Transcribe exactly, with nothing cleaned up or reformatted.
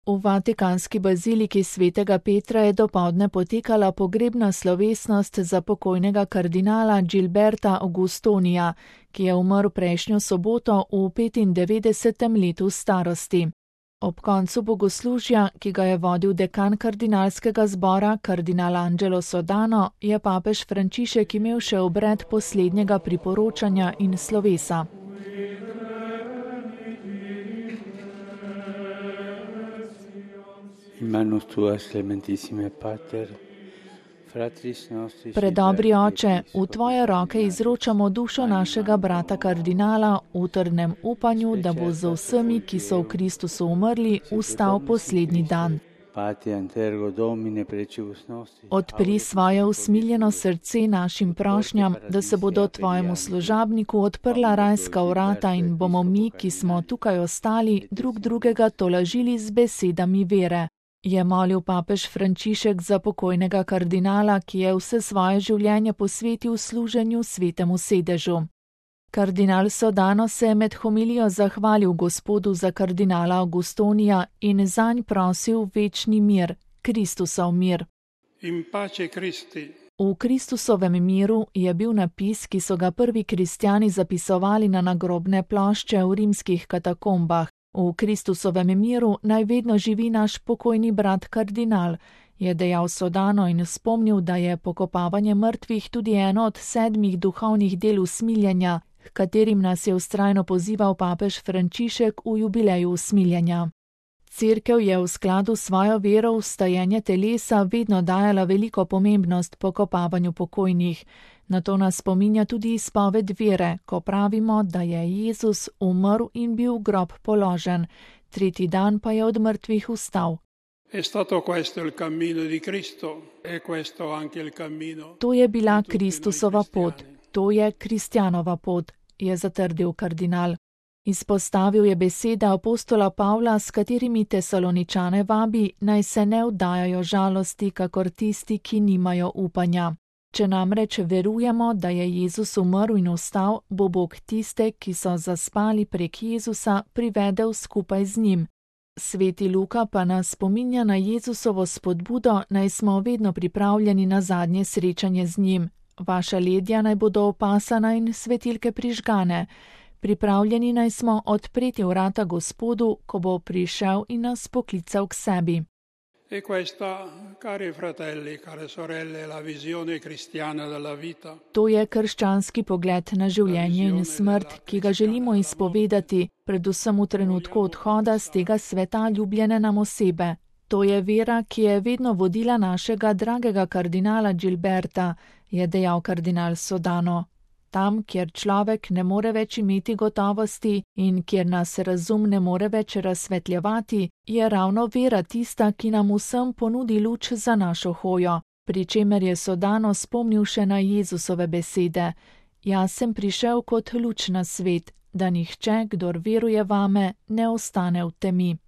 V vatikanski baziliki svetega Petra je dopoldne potekala pogrebna slovesnost za pokojnega kardinala Gilberta Augustonija, ki je umrl prejšnjo soboto v petindevetdesetem letu starosti. Ob koncu bogoslužja, ki ga je vodil dekan kardinalskega zbora, kardinal Angelo Sodano, je papež Frančišek imel še obred poslednjega priporočanja in slovesa. Predobri oče, v tvoje roke izročamo dušo našega brata kardinala v trdnem upanju, da bo z vsemi, ki so v Kristusu umrli, vstal poslednji dan. Odpri svoje usmiljeno srce našim prošnjam, da se bodo tvojemu služabniku odprla rajska vrata in bomo mi, ki smo tukaj ostali, drug drugega tolažili z besedami vere. Je molil papež Frančišek za pokojnega kardinala, ki je vse svoje življenje posvetil služenju svetemu sedežu. Kardinal Sodano se je med homilijo zahvalil Gospodu za kardinala Augustonija in zanj prosil večni mir, Kristusov mir. In pace Christi. V Kristusovem miru je bil napis, ki so ga prvi kristjani zapisovali na nagrobne plošče v rimskih katakombah. V Kristusovem miru naj vedno živi naš pokojni brat kardinal, je dejal Sodano in spomnil, da je pokopavanje mrtvih tudi eno od sedmih duhovnih del usmiljenja, h katerim nas je vztrajno pozival papež Frančišek v jubileju usmiljenja. Cerkev je v skladu s svojo vero v vstajenje telesa vedno dajala veliko pomembnost pokopavanju pokojnih. Na to nas spominja tudi izpoved vere, ko pravimo, da je Jezus umrl in bil v grob položen, tretji dan pa je od mrtvih vstal. To je bila Kristusova pot, to je kristjanova pot, je zatrdil kardinal. Izpostavil je besede apostola Pavla, s katerimi Tesaloničane vabi, naj se ne vdajajo žalosti, kakor tisti, ki nimajo upanja. Če namreč verujemo, da je Jezus umrl in vstal, bo Bog tiste, ki so zaspali prek Jezusa, privedel skupaj z njim. Sveti Luka pa nas spominja na Jezusovo spodbudo, naj smo vedno pripravljeni na zadnje srečanje z njim. Vaša ledja naj bodo opasana in svetilke prižgane. Pripravljeni naj smo odpreti vrata Gospodu, ko bo prišel in nas poklical k sebi. E questa, cari fratelli, care sorelle, la visione cristiana della vita. To je krščanski pogled na življenje in smrt, ki ga želimo izpovedati, predvsem v trenutku odhoda z tega sveta ljubljene nam osebe. To je vera, ki je vedno vodila našega dragega kardinala Gilberta, je dejal kardinal Sodano. Tam, kjer človek ne more več imeti gotovosti in kjer nas razum ne more več razsvetljevati, je ravno vera tista, ki nam vsem ponudi luč za našo hojo, pri čemer je Sodano spomnil še na Jezusove besede. Jaz sem prišel kot luč na svet, da nihče, kdor veruje vame, ne ostane v temi.